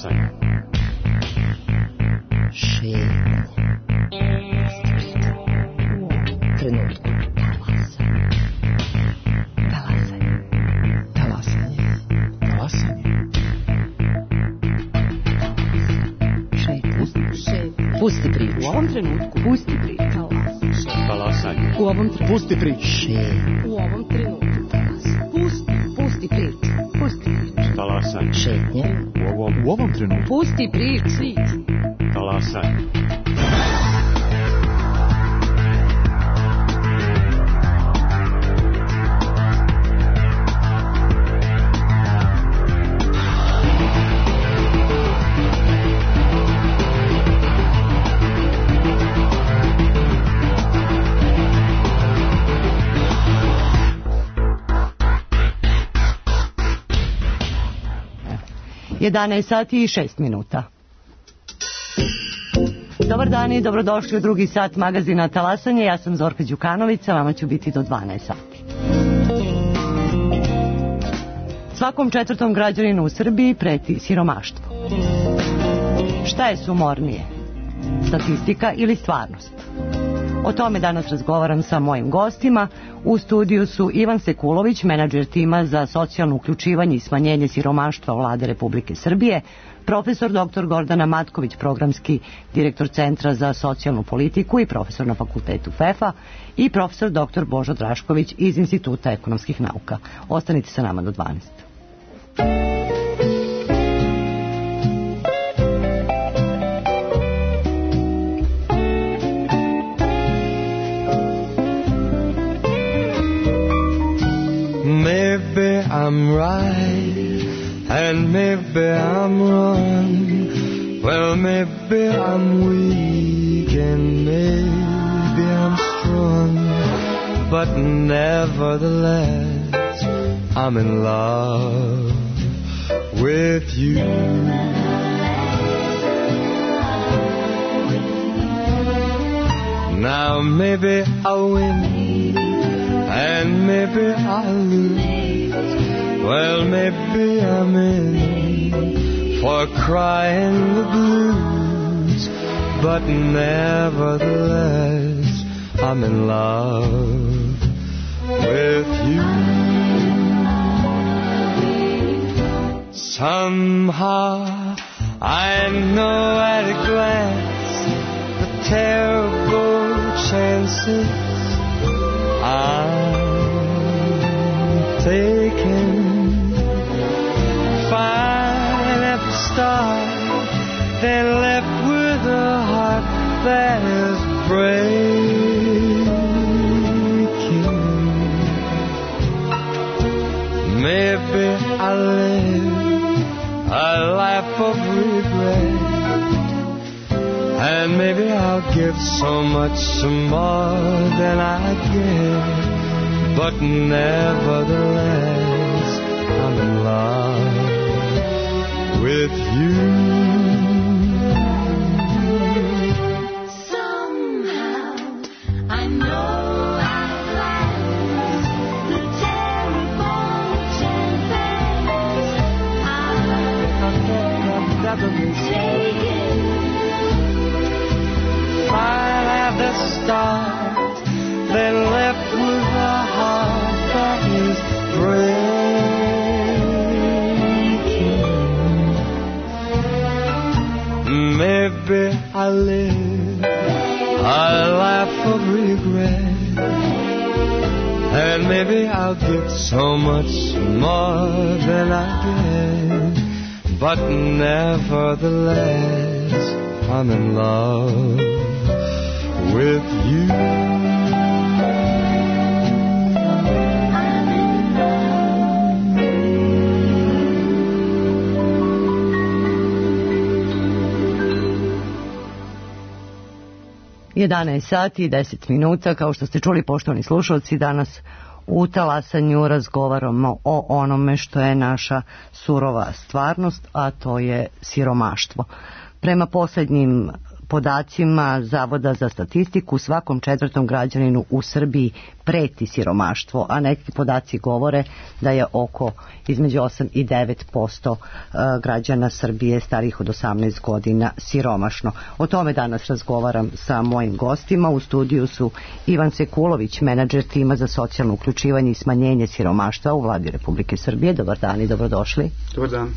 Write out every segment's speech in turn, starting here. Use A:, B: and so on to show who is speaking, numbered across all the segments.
A: Talasanje.
B: Šetnje. Trenutku.
A: Talasanje.
B: Pusti priču.
C: U ovom trenutku.
B: Pusti priču.
A: Talasanje.
C: U ovom trenutku.
A: Pusti priču.
C: U ovom trenutku. Pusti priču. Pusti priču.
A: Talasanje.
B: Šetnje.
A: U ovom trenutku.
C: Pusti priču.
A: Talasanje.
D: Jedanaest sati i 6 minuta. Dobar dan i dobrodošli u drugi sat magazina Talasanje. Ja sam Zorka Đukanović, vama ću biti do 12 sati. Svakom četvrtom građaninu u Srbiji preti siromaštvo. Šta je sumornije? Statistika ili stvarnost? O tome danas razgovaram sa mojim gostima. U studiju su Ivan Sekulović, menadžer tima za socijalno uključivanje i smanjenje siromaštva Vlade Republike Srbije, profesor dr. Gordana Matković, programski direktor Centra za socijalnu politiku i profesor na fakultetu FEFA, i profesor dr. Božo Drašković iz Instituta ekonomskih nauka. Ostanite sa nama do 12.
E: Maybe I'm right, and maybe I'm wrong. Well, maybe I'm weak, and maybe I'm strong. But nevertheless, I'm in love with you. Now maybe I'll win, and maybe I'll lose. Well, maybe I'm in for crying the blues. But nevertheless, I'm in love with you. Somehow I know at a glance the terrible chances I'm taking. Fine at the start, then left with a heart that is breaking. Maybe I live a life of regret, and maybe I'll give so much more than I get. But nevertheless, I'm in love with you.
F: Somehow I know I've lost the terrible chances I've taken.
E: Fine at the start, then left with a heart that is breaking. Maybe I live a life of regret, and maybe I'll get so much more than I get. But nevertheless, I'm in love with you.
D: Jedanaest sati i 10 minuta, kao što ste čuli, poštovani slušalci, danas u Talasanju razgovaramo o onome što je naša surova stvarnost, a to je siromaštvo. Prema posljednjim podacima Zavoda za statistiku svakom četvrtom građaninu u Srbiji preti siromaštvo, a neki podaci govore da je između 8 i 9% građana Srbije starijih od 18 godina siromašno. O tome danas razgovaram sa mojim gostima. U studiju su Ivan Sekulović, menadžer tima za socijalno uključivanje i smanjenje siromaštva u Vladi Republike Srbije. Dobar dan i dobrodošli.
G: Dobar dan.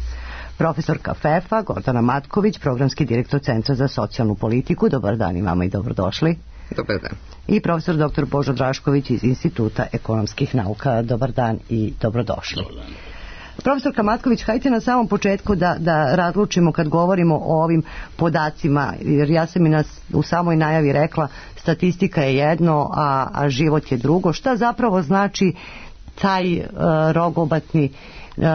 D: Profesorka FEF-a Gordana Matković, programski direktor Centra za socijalnu politiku. Dobar dan i vama i dobrodošli.
G: Dobar dan.
D: I profesor dr. Božo Drašković iz Instituta ekonomskih nauka. Dobar dan i dobrodošli.
G: Dobar dan.
D: Profesorka Matković, hajte na samom početku da razlučimo kad govorimo o ovim podacima, jer ja sam i u samoj najavi rekla statistika je jedno, a život je drugo. Šta zapravo znači taj rogobatni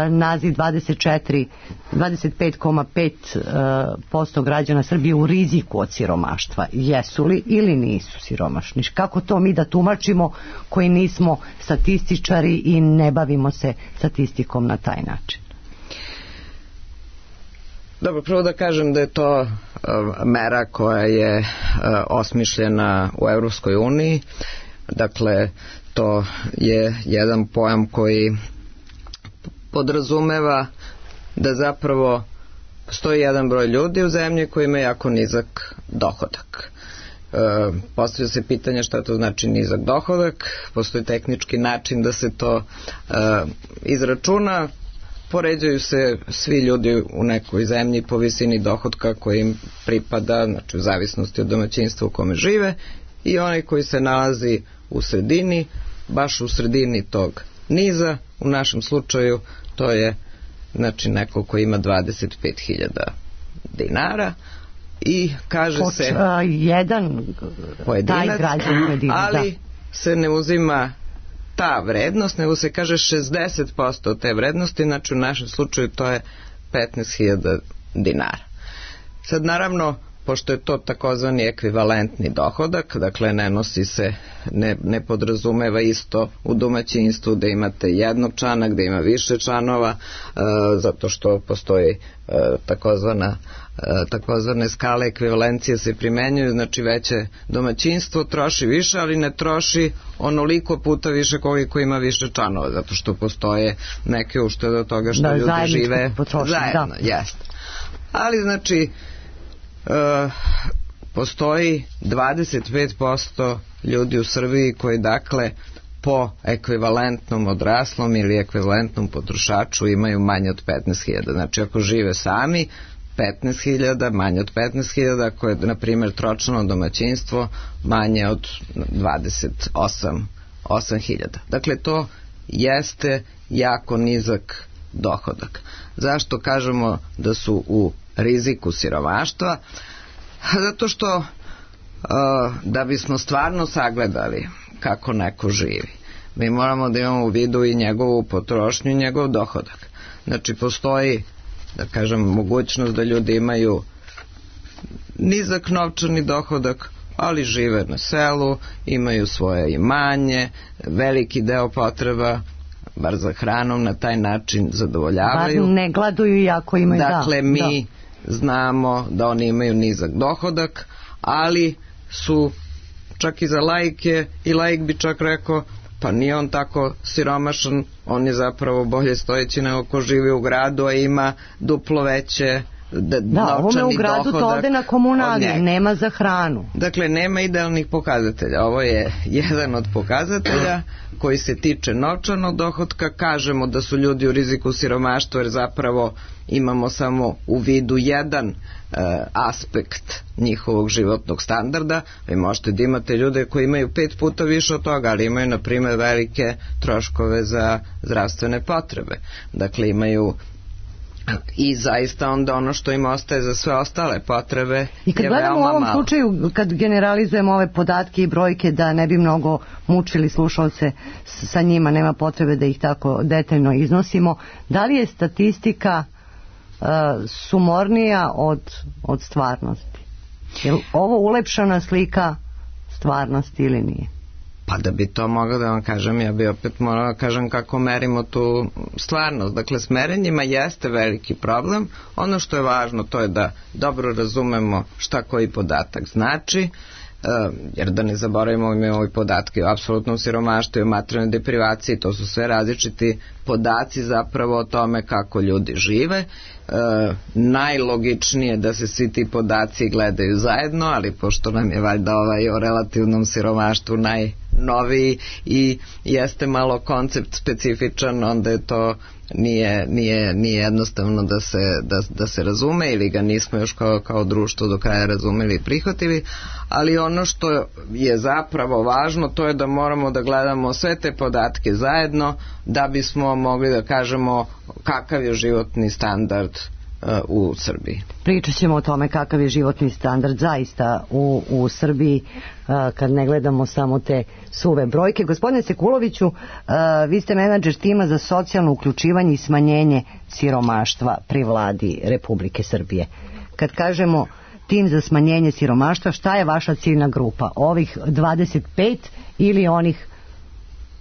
D: naziv 25,5% građana Srbije u riziku od siromaštva? Jesu li ili nisu siromašni? Kako to mi da tumačimo koji nismo statističari i ne bavimo se statistikom na taj način?
G: Dobro, prvo da kažem da je to mera koja je osmišljena u Evropskoj uniji. Dakle, to je jedan pojam koji podrazumeva da zapravo postoji jedan broj ljudi u zemlji koji ima jako nizak dohodak. Postavlja se pitanje šta to znači nizak dohodak, postoji tehnički način da se to izračuna, poređuju se svi ljudi u nekoj zemlji po visini dohotka koji im pripada, znači u zavisnosti od domaćinstva u kome žive, i onaj koji se nalazi u sredini, baš u sredini tog niza, u našem slučaju to je znači neko ko ima 25.000 dinara i kaže se
D: jedan
G: pojedinac, ali se ne uzima ta vrednost, nego se kaže 60% od te vrednosti, znači u našem slučaju to je 15.000 dinara. Sad naravno, pošto je to takozvani ekvivalentni dohodak, dakle ne nosi se, ne podrazumeva isto u domaćinstvu da imate jednog člana, gde ima više članova, zato što postoji takozvane skale ekvivalencije se primenjuju, znači veće domaćinstvo troši više, ali ne troši onoliko puta više koliko ima više članova, zato što postoje neke uštede od toga što ljudi žive zajedno. Jeste. Ali znači postoji 25% ljudi u Srbiji koji dakle po ekvivalentnom odraslom ili ekvivalentnom potrošaču imaju manje od 15.000. Znači ako žive sami 15.000, manje od 15.000, ako je na primjer tročlano domaćinstvo manje od 28.000. Dakle to jeste jako nizak dohodak. Zašto kažemo da su u riziku siromaštva? Zato što da bismo stvarno sagledali kako neko živi, mi moramo da imamo u vidu i njegovu potrošnju i njegov dohodak. Znači postoji, da kažem, mogućnost da ljudi imaju nizak novčani dohodak, ali žive na selu, imaju svoje imanje, veliki deo potreba bar za hranom na taj način zadovoljavaju.
D: Bar ne gladuju iako imaju.
G: Dakle, mi znamo da oni imaju nizak dohodak, ali su čak i za laike, i laik bi čak rekao pa nije on tako siromašan, on je zapravo bolje stojeći nego ko živi u gradu, a ima duplo veće
D: ovome u gradu to ode na komunalije, nema za hranu.
G: Dakle, nema idealnih pokazatelja. Ovo je jedan od pokazatelja koji se tiče novčanog dohotka. Kažemo da su ljudi u riziku siromaštva jer zapravo imamo samo u vidu jedan aspekt njihovog životnog standarda. Vi možete da imate ljude koji imaju 5 puta više od toga, ali imaju na primjer velike troškove za zdravstvene potrebe. Dakle, imaju i zaista onda ono što im ostaje za sve ostale potrebe je veoma malo.
D: I kad gledamo u ovom slučaju, kad generalizujemo ove podatke i brojke, da ne bi mnogo mučili slušalce sa njima, nema potrebe da ih tako detaljno iznosimo, da li je statistika sumornija od stvarnosti? Je li ovo ulepšana slika stvarnosti ili nije?
G: Pa da bi to mogao da vam kažem, ja bi opet morao da kažem kako merimo tu stvarnost. Dakle, s merenjima jeste veliki problem. Ono što je važno to je da dobro razumemo šta koji podatak znači, jer da ne zaboravimo, imamo i podatke o apsolutnom siromaštvu i o materijalnoj deprivaciji, to su sve različiti podaci zapravo o tome kako ljudi žive. Najlogičnije da se svi ti podaci gledaju zajedno, ali pošto nam je valjda o relativnom siromaštvu najnoviji i jeste malo koncept specifičan, onda je to nije jednostavno da se razume, ili ga nismo još kao društvo do kraja razumeli i prihvatili, ali ono što je zapravo važno to je da moramo da gledamo sve te podatke zajedno da bismo mogli da kažemo kakav je životni standard u Srbiji.
D: Pričat ćemo o tome kakav je životni standard zaista u Srbiji kad ne gledamo samo te suve brojke. Gospodine Sekuloviću, vi ste menadžer tima za socijalno uključivanje i smanjenje siromaštva pri vladi Republike Srbije. Kad kažemo tim za smanjenje siromaštva, šta je vaša ciljna grupa? Ovih 25 ili onih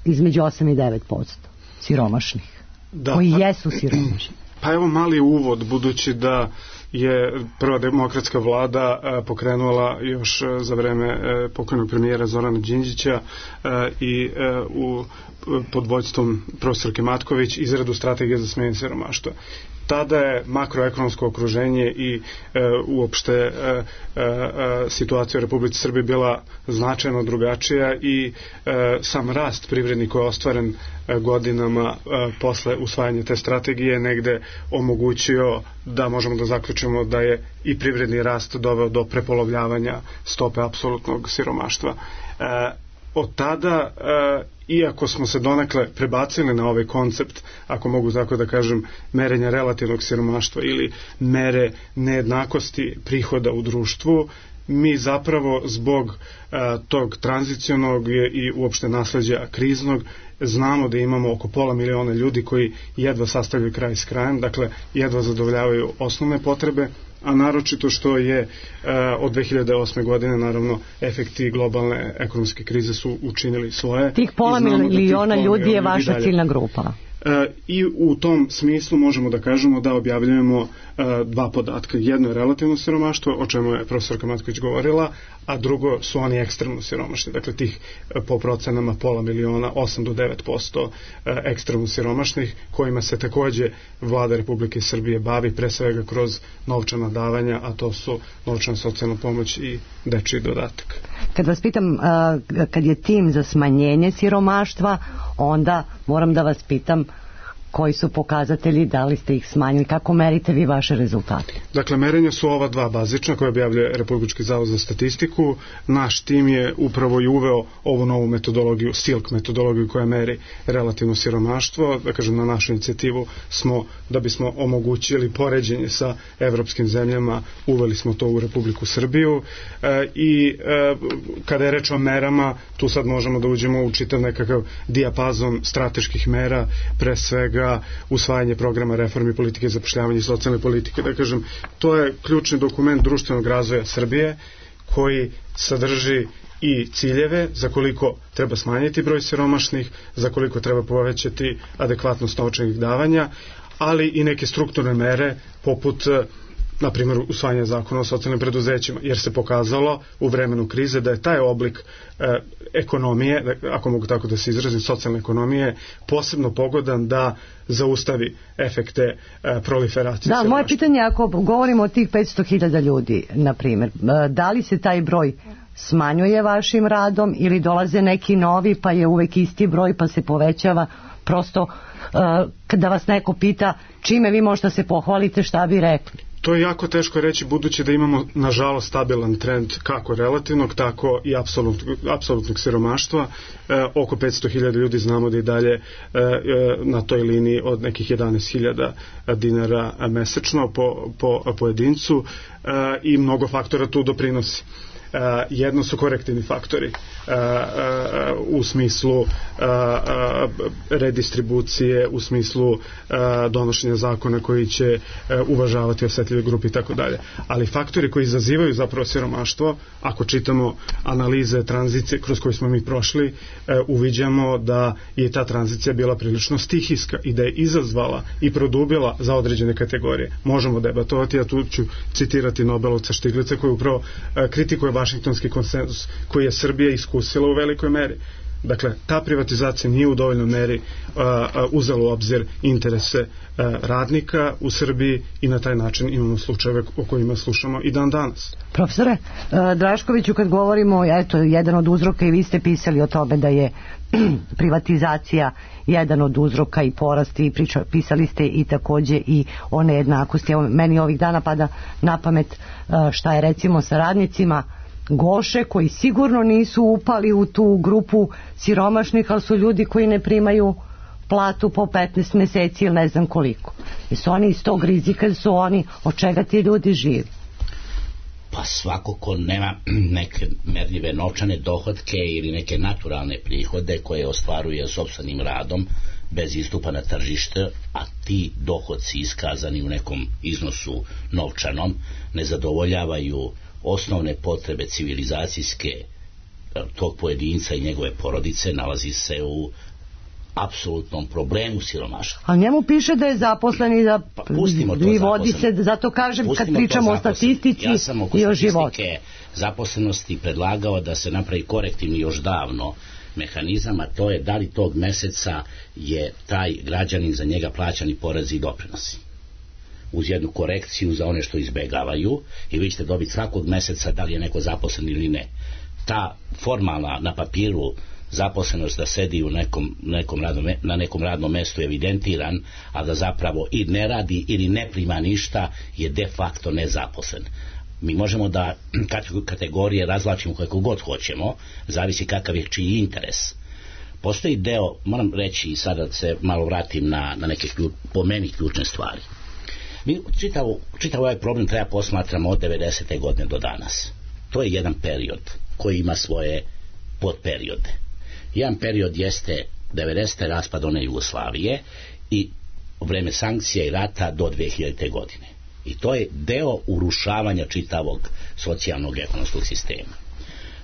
D: između 8 i 9% siromašnih? Da, koji jesu siromašni?
H: Pa evo mali uvod, budući da je prva demokratska vlada pokrenula još za vreme pokojnog premijera Zorana Đinđića i pod vođstvom profesorke Matković izradu strategije za smanjenje siromaštva. Tada je makroekonomsko okruženje i uopšte situacija u Republici Srbiji bila značajno drugačija i sam rast privredni koji je ostvaren godinama posle usvajanja te strategije negde omogućio da možemo da zaključimo da je i privredni rast doveo do prepolovljavanja stope apsolutnog siromaštva. Od tada, iako smo se donekle prebacili na ovaj koncept, ako mogu tako da kažem, merenja relativnog siromaštva ili mere nejednakosti prihoda u društvu, mi zapravo zbog tog tranzicionog i uopšte nasleđa kriznog znamo da imamo oko 500 miliona ljudi koji jedva sastavljaju kraj s krajem, dakle jedva zadovoljavaju osnovne potrebe, a naročito što je od 2008. godine naravno efekti globalne ekonomske krize su učinili svoje.
D: Tih 500 miliona ljudi je vaša ciljna grupa.
H: I u tom smislu možemo da kažemo da objavljujemo dva podatka. Jedno je relativno siromaštvo, o čemu je profesorka Matković govorila, a drugo su oni ekstremno siromašni. Dakle, tih po procenama 500 miliona, 8 do 9% ekstremno siromašnih, kojima se takođe vlada Republike Srbije bavi, pre svega kroz novčana davanja, a to su novčana socijalna pomoć i dečiji dodatak.
D: Kad vas pitam, kad je tim za smanjenje siromaštva, onda moram da vas pitam koji su pokazatelji, da li ste ih smanjili, kako merite vi vaše rezultate?
H: Dakle, merenja su ova dva bazična koje objavljuje Republički zavod za statistiku. Naš tim je upravo i uveo ovu novu metodologiju, SILK metodologiju koja meri relativno siromaštvo. Da kažem, na našu inicijativu smo, da bismo omogućili poređenje sa evropskim zemljama, uveli smo to u Republiku Srbiju i kada je reč o merama, tu sad možemo da uđemo u čitav nekakav dijapazon strateških mera, pre svega usvajanje programa reformi politike zapošljavanja i socijalne politike. Da kažem, to je ključni dokument društvenog razvoja Srbije koji sadrži i ciljeve za koliko treba smanjiti broj siromašnih, za koliko treba povećati adekvatnost novčanih davanja, ali i neke strukturne mere poput na primjer usvajanje zakona o socijalnim preduzećima, jer se pokazalo u vremenu krize da je taj oblik ekonomije, ako mogu tako da se izrazim, socijalne ekonomije, posebno pogodan da zaustavi efekte proliferacije.
D: Da, moje pitanje je, ako govorimo o tih 500.000 ljudi, na primjer, da li se taj broj smanjuje vašim radom ili dolaze neki novi pa je uvek isti broj pa se povećava? Prosto kada vas neko pita čime vi možete se pohvalite, šta bi rekli?
H: To je jako teško reći, budući da imamo nažalost stabilan trend kako relativnog, tako i apsolutnog siromaštva. Oko 500.000 ljudi znamo da i dalje na toj liniji od nekih 11.000 dinara mesečno po pojedincu i mnogo faktora tu doprinosi. Jedno su korektivni faktori u smislu redistribucije, u smislu donošenja zakona koji će uvažavati osetljive grupe i tako dalje. Ali faktori koji izazivaju zapravo siromaštvo, ako čitamo analize tranzicije kroz koje smo mi prošli, uviđamo da je ta tranzicija bila prilično stihijska i da je izazvala i produbila za određene kategorije. Možemo debatovati, ja tu ću citirati Nobelovca Štiglica koji upravo kritikuje Vašingtonski konsenzus koji je Srbija iskusila u velikoj meri. Dakle, ta privatizacija nije u dovoljnoj meri uzela u obzir interese radnika u Srbiji i na taj način imamo slučajeve o kojima slušamo i dan danas.
D: Profesore Draškoviću, kad govorimo, eto, jedan od uzroka, i vi ste pisali o tome da je privatizacija jedan od uzroka i porasti, i pisali ste i takođe i o nejednakosti. Evo, meni ovih dana pada na pamet šta je recimo sa radnicima Goše, koji sigurno nisu upali u tu grupu siromašnih, ali su ljudi koji ne primaju platu po 15 meseci ili ne znam koliko. Jesu oni iz tog rizika, su oni, od čega ti ljudi živi?
I: Pa svako ko nema neke merljive novčane dohotke ili neke naturalne prihode koje ostvaruje sopstvenim radom bez istupa na tržište, a ti dohodci iskazani u nekom iznosu novčanom ne zadovoljavaju osnovne potrebe civilizacijske tog pojedinca i njegove porodice, nalazi se u apsolutnom problemu siromaštva.
D: Ali njemu piše da je zaposlen i da vi vodi se, zato kažem, kad pričamo o statistici i o životu.
I: Zaposlenosti predlagao da se napravi korektivni još davno mehanizam, a to je da li tog meseca je taj građanin za njega plaćani porezi i doprinosi. Uz jednu korekciju za one što izbegavaju, i vi ćete dobiti svakog meseca da li je neko zaposlen ili ne. Ta formalna na papiru zaposlenost da sedi na nekom radnom mestu evidentiran, a da zapravo i ne radi ili ne prima ništa, je de facto nezaposlen. Mi možemo da kategorije razvlačimo kako god hoćemo, zavisi kakav je čiji interes. Postoji deo, moram reći i sada se malo vratim na neke po meni ključne stvari. Mi čitav ovaj problem treba posmatramo od 90. godine do danas. To je jedan period koji ima svoje podperiode. Jedan period jeste 90. raspad one Jugoslavije i vreme sankcija i rata do 2000. godine. I to je deo urušavanja čitavog socijalnog ekonomskog sistema.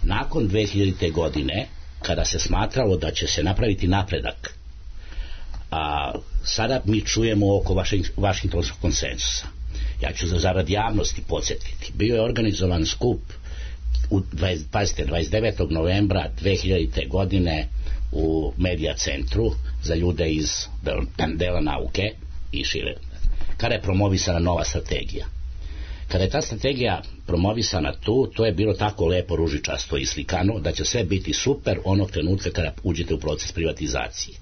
I: Nakon 2000. godine, kada se smatralo da će se napraviti napredak, a sada mi čujemo oko Vašingtonskog konsenzusa. Ja ću zarad javnosti podsjetiti. Bio je organizovan skup u 29. novembra 2000. godine u Medija centru za ljude iz dela nauke i šire, kada je promovisana nova strategija. Kada je ta strategija promovisana to je bilo tako lepo ružičasto i slikano da će sve biti super onog trenutka kada uđete u proces privatizacije.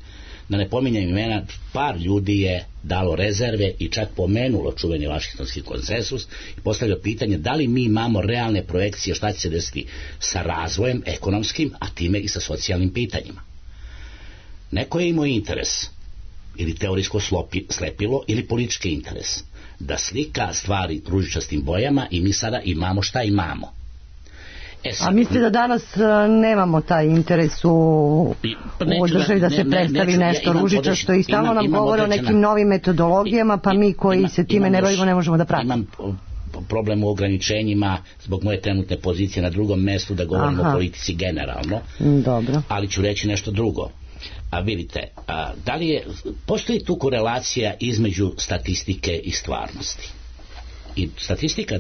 I: Da ne pominjem imena, par ljudi je dalo rezerve i čak pomenulo čuveni Vašingtonski konsenzus i postavljalo pitanje da li mi imamo realne projekcije šta će se desiti sa razvojem ekonomskim, a time i sa socijalnim pitanjima. Neko je imao interes, ili teorijsko slepilo, ili politički interes, da slika stvari ružičastim bojama i mi sada imamo šta imamo.
D: A mislite da danas nemamo taj interes u državi da se predstavi nešto ružičasto i stalno nam govore o nekim novim metodologijama, pa mi koji se time ne bavimo ne možemo da pratimo.
I: Imam problem u ograničenjima zbog moje trenutne pozicije na drugom mestu da govorimo o politici generalno.
D: Dobro.
I: Ali ću reći nešto drugo. A vidite, da li postoji tu korelacija između statistike i stvarnosti. I statistika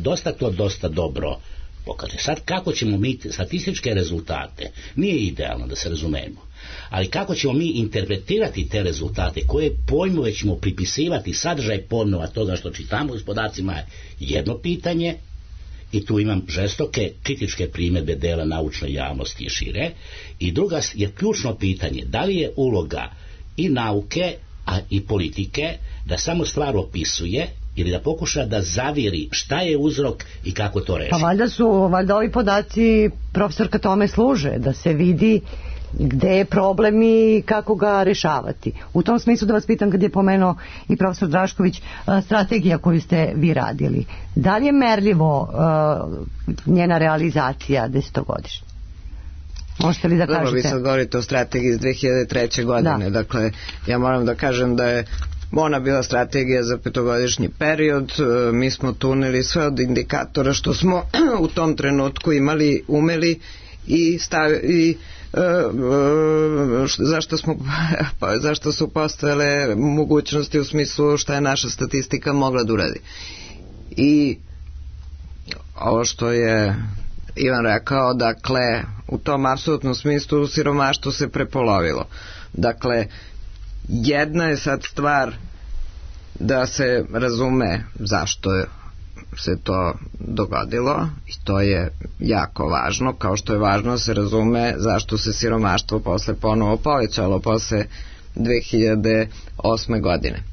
I: dosta dobro pokaže. Sad kako ćemo mi statističke rezultate, nije idealno da se razumemo, ali kako ćemo mi interpretirati te rezultate, koje pojmove ćemo pripisivati, sadržaj pojmova toga što čitamo u podacima je jedno pitanje, i tu imam žestoke kritičke primjedbe dela naučne javnosti i šire, i druga je ključno pitanje, da li je uloga i nauke, a i politike da samo stvar opisuje ili da pokuša da zaviri šta je uzrok i kako to reši.
D: Pa valjda ovi podaci, profesorka, tome služe, da se vidi gde je problem i kako ga rešavati. U tom smislu da vas pitam, kad je pomenuo i profesor Drašković strategija koju ste vi radili, da li je merljivo njena realizacija 10-godišnja? Možete li da kažete?
G: Dobro, vi sad govorite o strategiji iz 2003. godine. Dakle, ja moram da kažem da je ona bila strategija za 5-godišnji period. Mi smo tunili sve od indikatora što smo u tom trenutku umeli i zašto su postojale mogućnosti u smislu šta je naša statistika mogla da uradi. I ovo što je Ivan rekao, dakle, u tom apsolutnom smislu siromaštvo se prepolovilo. Dakle, jedna je sad stvar da se razume zašto se to dogodilo, i to je jako važno, kao što je važno da se razume zašto se siromaštvo posle ponovo povećalo posle 2008. godine.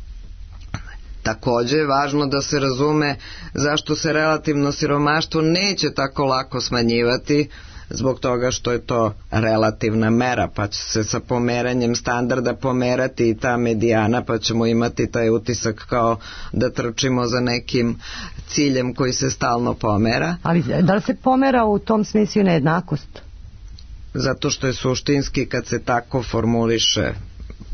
G: Takođe je važno da se razume zašto se relativno siromaštvo neće tako lako smanjivati, zbog toga što je to relativna mera, pa će se sa pomeranjem standarda pomerati i ta medijana, pa ćemo imati taj utisak kao da trčimo za nekim ciljem koji se stalno pomera.
D: Ali da li se pomera u tom smislu nejednakost?
G: Zato što je suštinski, kad se tako formuliše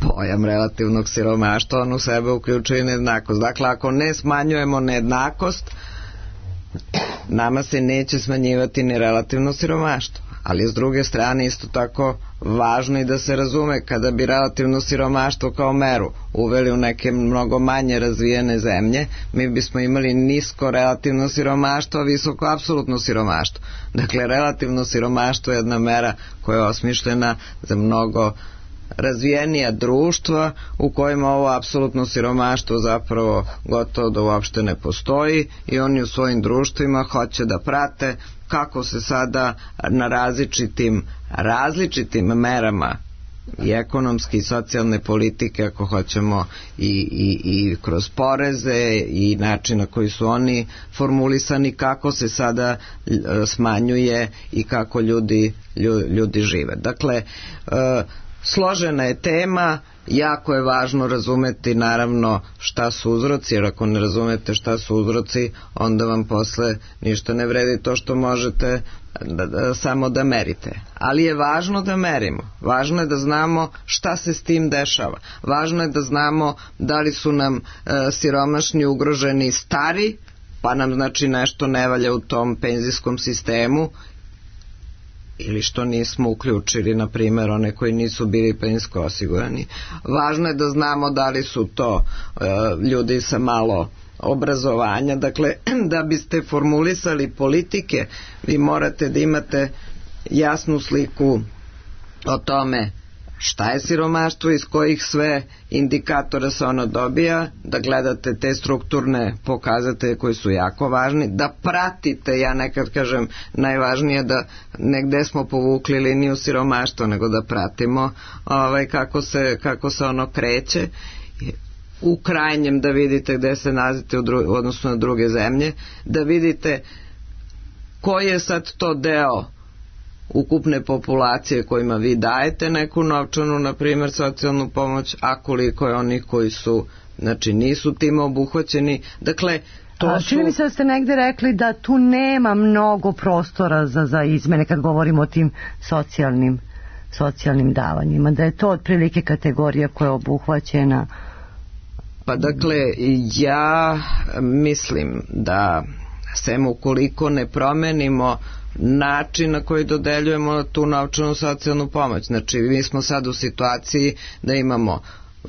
G: pojam relativnog siromaštva, on u sebe uključuje nejednakost. Dakle, ako ne smanjujemo nejednakost, nama se neće smanjivati ni relativno siromaštvo. Ali s druge strane isto tako važno i da se razume, kada bi relativno siromaštvo kao meru uveli u neke mnogo manje razvijene zemlje, mi bismo imali nisko relativno siromaštvo, a visoko apsolutno siromaštvo. Dakle, relativno siromaštvo je jedna mera koja je osmišljena za mnogo razvijenija društva u kojima ovo apsolutno siromaštvo zapravo gotovo da uopšte ne postoji, i oni u svojim društvima hoće da prate kako se sada na različitim merama i ekonomske i socijalne politike, ako hoćemo, i kroz poreze i način na koji su oni formulisani, kako se sada smanjuje i kako ljudi žive. Dakle, složena je tema, jako je važno razumeti naravno šta su uzroci, jer ako ne razumete šta su uzroci, onda vam posle ništa ne vredi to što možete samo da merite. Ali je važno da merimo, važno je da znamo šta se s tim dešava, važno je da znamo da li su nam siromašni ugroženi stari, pa nam znači nešto ne valja u tom penzijskom sistemu, ili što nismo uključili, na primjer, one koji nisu bili penzijsko osigurani. Važno je da znamo da li su to ljudi sa malo obrazovanja. Dakle, da biste formulisali politike, vi morate da imate jasnu sliku o tome šta je siromaštvo, iz kojih sve indikatora se ono dobija, da gledate te strukturne pokazatelje koji su jako važni, da pratite, ja nekad kažem najvažnije da negde smo povukli liniju siromaštva, nego da pratimo kako se ono kreće, u krajnjem da vidite gde se nalazite u odnosu na druge zemlje, da vidite koji je sad to deo ukupne populacije kojima vi dajete neku novčanu, na primjer socijalnu pomoć, a koliko je onih koji su, znači, nisu time obuhvaćeni. Dakle, to su... Čini mi se da ste negde rekli da tu nema mnogo prostora za izmene kad govorimo o tim socijalnim davanjima, da je to otprilike kategorija koja je obuhvaćena. Pa dakle, ja mislim da sem ukoliko ne promenimo način na koji dodeljujemo tu novčanu socijalnu pomoć. Znači, mi smo sad u situaciji da imamo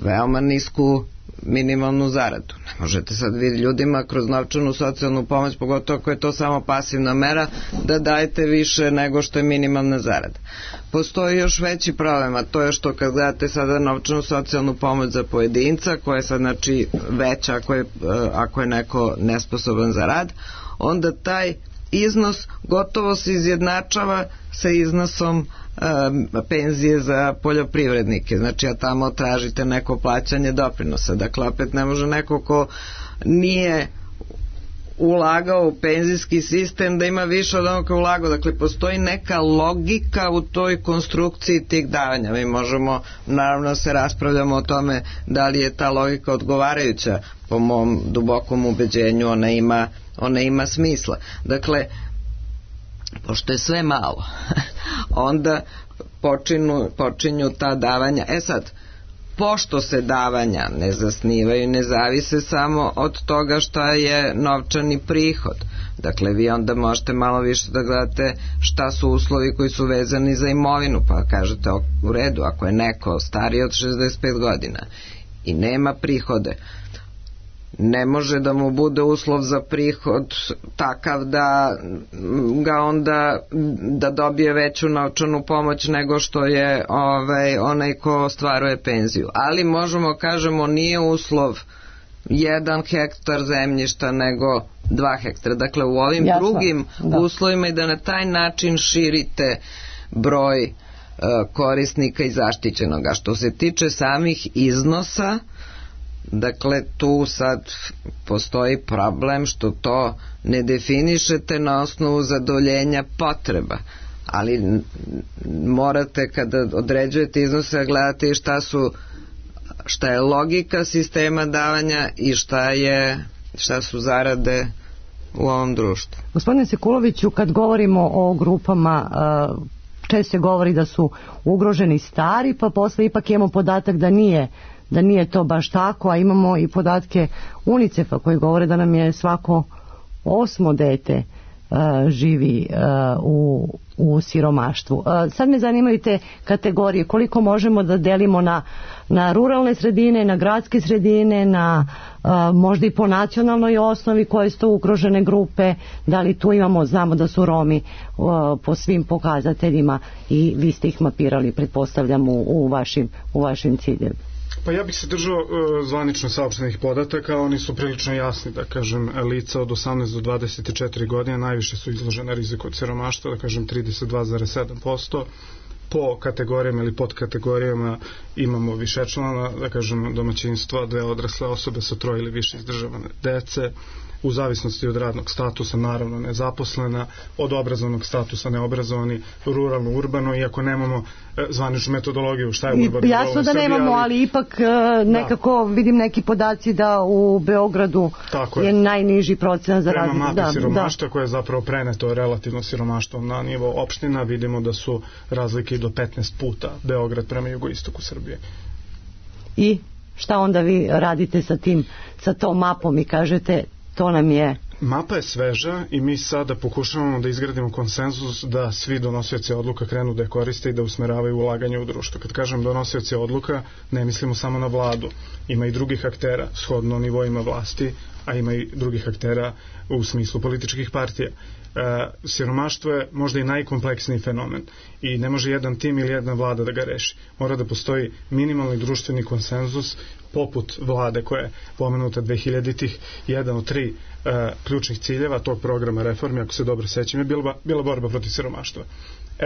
G: veoma nisku minimalnu zaradu. Ne možete sad vidjeti ljudima kroz novčanu socijalnu pomoć, pogotovo ako je to samo pasivna mera, da dajete više nego što je minimalna zarada. Postoji još veći problem, a to je što kad gledate sada novčanu socijalnu pomoć za pojedinca, koja je sad, znači, veća ako je neko nesposoban za rad, onda taj iznos gotovo se izjednačava sa iznosom penzije za poljoprivrednike. Znači, a tamo tražite neko plaćanje doprinosa. Dakle, opet ne može neko ko nije ulagao u penzijski sistem da ima više od onoga ulagao. Dakle, postoji neka logika u toj konstrukciji tih davanja. Mi možemo, naravno, se raspravljamo o tome da li je ta logika odgovarajuća. Po mom dubokom ubeđenju ona ima smisla. Dakle, pošto je sve malo, onda počinju ta davanja. Sad, pošto se davanja ne zasnivaju, ne zavise samo od toga šta je novčani prihod. Dakle, vi onda možete malo više da gledate šta su uslovi koji su vezani za imovinu, pa kažete u redu, ako je neko stariji od 65 godina i nema prihode, ne može da mu bude uslov za prihod takav da ga onda da dobije veću novčanu pomoć nego što je onaj ko ostvaruje penziju. Ali možemo kažemo nije uslov 1 hektar zemljišta nego 2 hektara. Dakle, u ovim drugim uslovima i da na taj način širite broj korisnika i zaštićenoga. Što se tiče samih iznosa, dakle, tu sad postoji problem što to ne definišete na osnovu zadovoljenja potreba, ali morate kada određujete iznose gledati šta je logika sistema davanja i šta su zarade u ovom društvu.
D: Gospodine Sekuloviću, kad govorimo o grupama, često se govori da su ugroženi stari, pa posle ipak imamo podatak da nije to baš tako, a imamo i podatke UNICEF-a koji govore da nam je svako 8. dete živi u siromaštvu. Sad me zanimaju te kategorije, koliko možemo da delimo na ruralne sredine, na gradske sredine, na možda i po nacionalnoj osnovi koje su to ugrožene grupe, da li tu imamo, znamo da su Romi po svim pokazateljima i vi ste ih mapirali, pretpostavljam, u vašim ciljevima.
H: Pa ja bih se držao zvanično saopštenih podataka, oni su prilično jasni, da kažem, lica od 18 do 24 godine najviše su izložena riziku od siromaštva, da kažem 32,7%, po kategorijama ili podkategorijama imamo višečlana, da kažem, domaćinstva, 2 odrasle osobe sa 3 ili više izdržavane dece, u zavisnosti od radnog statusa, naravno nezaposlena, od obrazovnog statusa neobrazovani, ruralno, urbano, iako nemamo zvaničnu metodologiju šta je urbano.
D: Jasno da nemamo, ali ipak nekako vidim neki podaci da u Beogradu je najniži procenat za razliku.
H: Prema mapi siromaštva koje je zapravo preneto relativno siromaštvom na nivo opština, vidimo da su razlike do 15 puta Beograd prema jugoistoku Srbije.
D: I šta onda vi radite sa tom mapom i kažete to nam je...
H: Mapa je sveža i mi sada pokušavamo da izgradimo konsenzus da svi donosioci odluka krenu da je koriste i da usmeravaju ulaganje u društvo. Kad kažem donosioci odluka, ne mislimo samo na vladu. Ima i drugih aktera shodno nivoima vlasti, a ima i drugih aktera u smislu političkih partija. Siromaštvo je možda i najkompleksniji fenomen i ne može jedan tim ili jedna vlada da ga reši. Mora da postoji minimalni društveni konsenzus poput vlade koja je pomenuta 2000-ih. Jedan od 3 ključnih ciljeva tog programa reformi, ako se dobro sećam, je bila borba protiv siromaštva.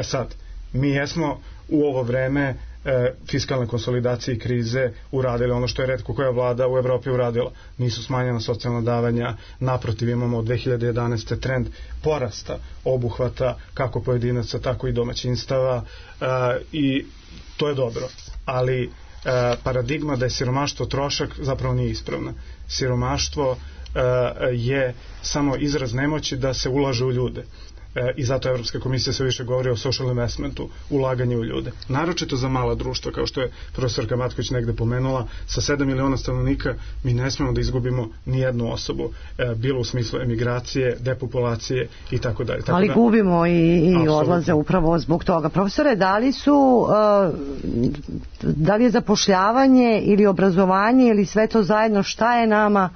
H: Sad, mi jesmo u ovo vreme fiskalne konsolidacije i krize uradili ono što je retko koja vlada u Evropi uradila. Nisu smanjena socijalna davanja, naprotiv imamo od 2011. trend porasta obuhvata kako pojedinaca, tako i domaćinstava i to je dobro. Ali paradigma da je siromaštvo trošak zapravo nije ispravna. Siromaštvo je samo izraz nemoći da se ulaže u ljude. I zato Evropska komisija sve više govori o social investmentu, ulaganje u ljude. Naročito za mala društva, kao što je profesorka Matković negde pomenula, sa 7 miliona stanovnika mi ne smemo da izgubimo ni jednu osobu, bilo u smislu emigracije, depopulacije i tako dalje.
D: Ali gubimo i odlaze upravo zbog toga. Profesore, da li je zapošljavanje ili obrazovanje ili sve to zajedno, šta je nama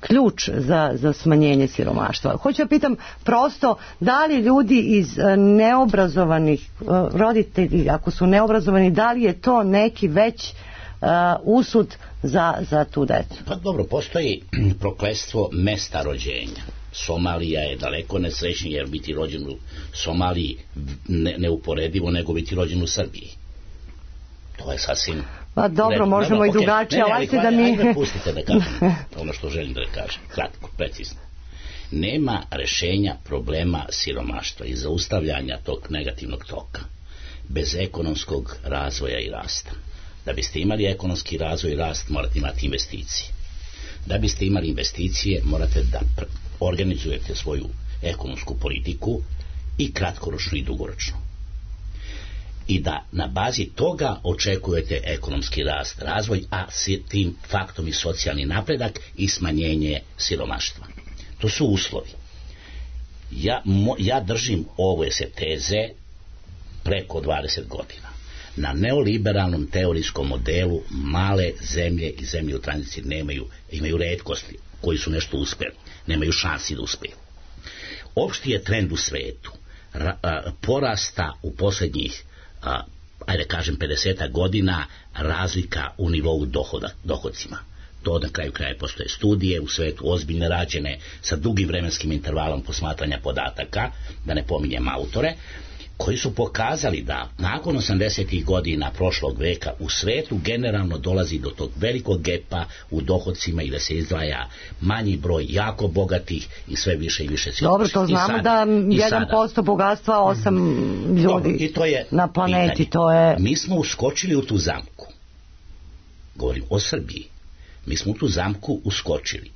D: ključ za smanjenje siromaštva? Hoću da pitam prosto, da li ljudi iz neobrazovanih, roditelji ako su neobrazovani, da li je to neki već usud za tu decu?
I: Pa dobro, postoji prokletstvo mesta rođenja. Somalija je daleko nesrećnija jer biti rođen u Somaliji neuporedivo nego biti rođen u Srbiji. To je sasvim...
D: Pa dobro, možemo i drugačije, ali ajte da mi...
I: Ajde, pustite da kažem ono što želim da kažem, kratko, precizno. Nema rešenja problema siromaštva i zaustavljanja tog negativnog toka bez ekonomskog razvoja i rasta. Da biste imali ekonomski razvoj i rast, morate imati investicije. Da biste imali investicije, morate da organizujete svoju ekonomsku politiku i kratkoročno i dugoročno. I da na bazi toga očekujete ekonomski rast, razvoj, a s tim faktom i socijalni napredak i smanjenje siromaštva. To su uslovi. Ja držim ove se teze preko 20 godina. Na neoliberalnom teorijskom modelu male zemlje i zemlje u tranziciji imaju retkosti koji su nešto uspeli, nemaju šansi da uspeju. Opšti je trend u svetu porasta u posljednjih 50 godina razlika u nivou dohodcima. To na kraju kraja postoje studije u svetu ozbiljne rađene sa dugim vremenskim intervalom posmatranja podataka, da ne pominjem autore, koji su pokazali da nakon 80. godina prošlog veka u svetu generalno dolazi do tog velikog gepa u dohodcima i da se izdvaja manji broj jako bogatih i sve više i više siromašnih.
D: Dobro, to znamo da 1% bogatstva 8 ljudi dobro, i to je na planeti. Pitanje. To je...
I: Mi smo uskočili u tu zamku. Govorim o Srbiji. Mi smo u tu zamku uskočili.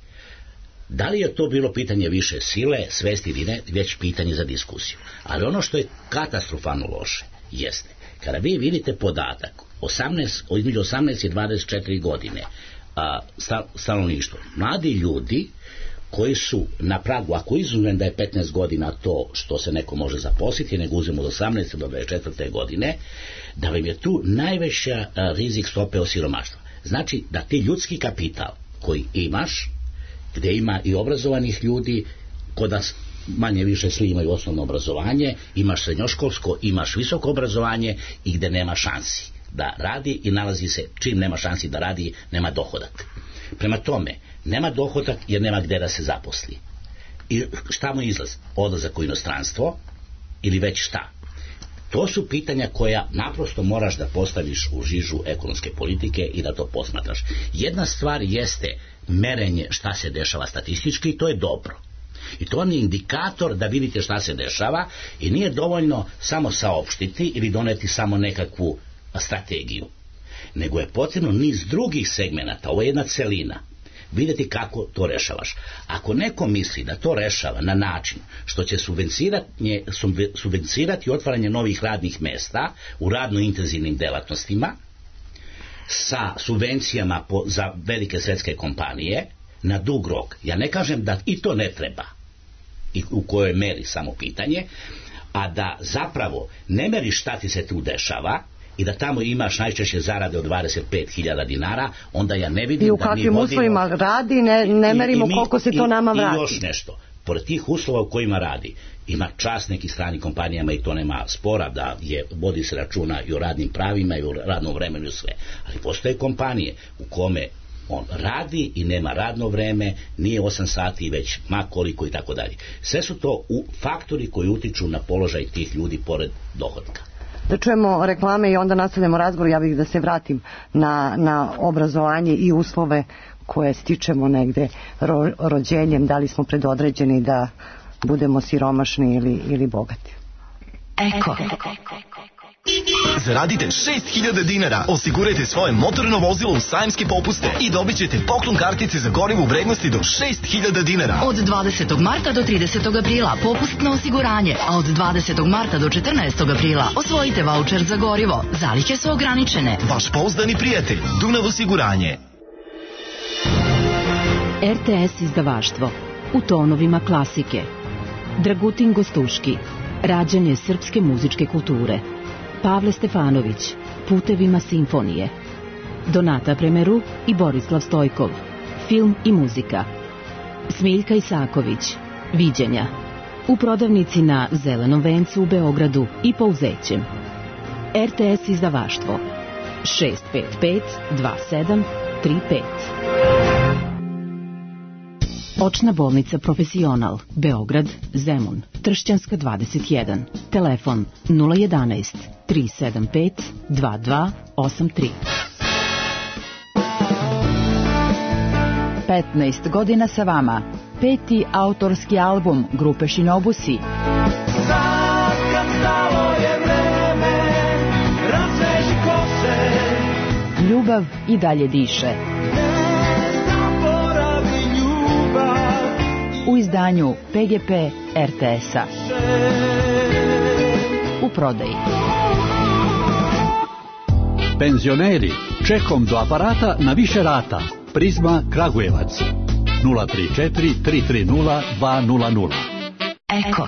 I: Da li je to bilo pitanje više sile, svesti ili ne, već pitanje za diskusiju. Ali ono što je katastrofalno loše jeste, kada vi vidite podatak između 18 i 24 godine stanovništvo, mladi ljudi koji su na pragu, ako izuzmem da je 15 godina to što se neko može zaposliti, nego uzmemo od 18 do 24 godine, da vam je tu najveća rizik stope osiromaštva. Znači da ti ljudski kapital koji imaš, gdje ima i obrazovanih ljudi, kod nas manje više svi imaju osnovno obrazovanje, imaš srednjoškolsko, imaš visoko obrazovanje i gdje nema šansi da radi i nalazi se, čim nema šansi da radi, nema dohodak. Prema tome, nema dohodak jer nema gdje da se zaposli. I šta mu izlaz? Odlazak u inostranstvo ili već šta? To su pitanja koja naprosto moraš da postaviš u žižu ekonomske politike i da to posmatraš. Jedna stvar jeste merenje šta se dešava statistički i to je dobro. I to je indikator da vidite šta se dešava i nije dovoljno samo saopštiti ili doneti samo nekakvu strategiju. Nego je potrebno niz drugih segmenata, ovo je jedna celina, vidjeti kako to rešavaš. Ako neko misli da to rešava na način što će subvencirati otvaranje novih radnih mesta u radno intenzivnim delatnostima sa subvencijama za velike svetske kompanije na dug rok, ja ne kažem da i to ne treba i u kojoj meri samo pitanje, a da zapravo ne meriš šta ti se tu dešava i da tamo imaš najčešće zarade od 25.000 dinara, onda ja ne vidim
D: i u kakvim uslovima radi, ne merimo koliko se to nama vrati.
I: I još nešto, pored tih uslova u kojima radi, ima čast nekih stranih kompanijama i to nema spora da vodi se računa i o radnim pravima i o radnom vremenu i sve. Ali postoje kompanije u kome on radi i nema radno vreme, nije 8 sati već ma koliko i tako dalje. Sve su to faktori koji utiču na položaj tih ljudi pored dohodka.
D: Da čujemo reklame i onda nastavljamo razgovor. Ja bih da se vratim na obrazovanje i uslove koje stičemo negde rođenjem, da li smo predodređeni da budemo siromašni ili bogati.
B: Eko.
J: Zaradite 6.000 dinara, osigurajte svoje motorno vozilo u sajamske popuste i dobit ćete poklon kartice za gorivo u vrednosti do 6.000 dinara.
B: Od 20. marta do 30. aprila popust na osiguranje, a od 20. marta do 14. aprila osvojite vaučer za gorivo. Zalihe su ograničene.
J: Vaš pouzdani prijatelj, Dunav osiguranje.
K: RTS izdavaštvo u tonovima klasike. Dragutin Gostuški, rađanje srpske muzičke kulture. Pavle Stefanović, Putevima simfonije. Donata Premeru i Borislav Stojkov, film i muzika. Smiljka Isaković, Viđenja. U prodavnici na Zelenom vencu u Beogradu i Pouzećem. RTS izdavaštvo 655 27 35. Očna bolnica Profesional, Beograd, Zemun, Tršćanska 21, telefon 011 375 2283.
L: 15 godina sa vama,
K: 5. autorski album grupe Shinobusi.
E: Sad kad stalo je vreme, razveži kose,
K: Ljubav i dalje diše.
E: ne zaboravi ljubav.
K: U izdanju PGP RTS-a. U prodaji.
L: Penzioneri, čekom do aparata na više rata. Prizma Kragujevac 034 330 200.
B: Eko.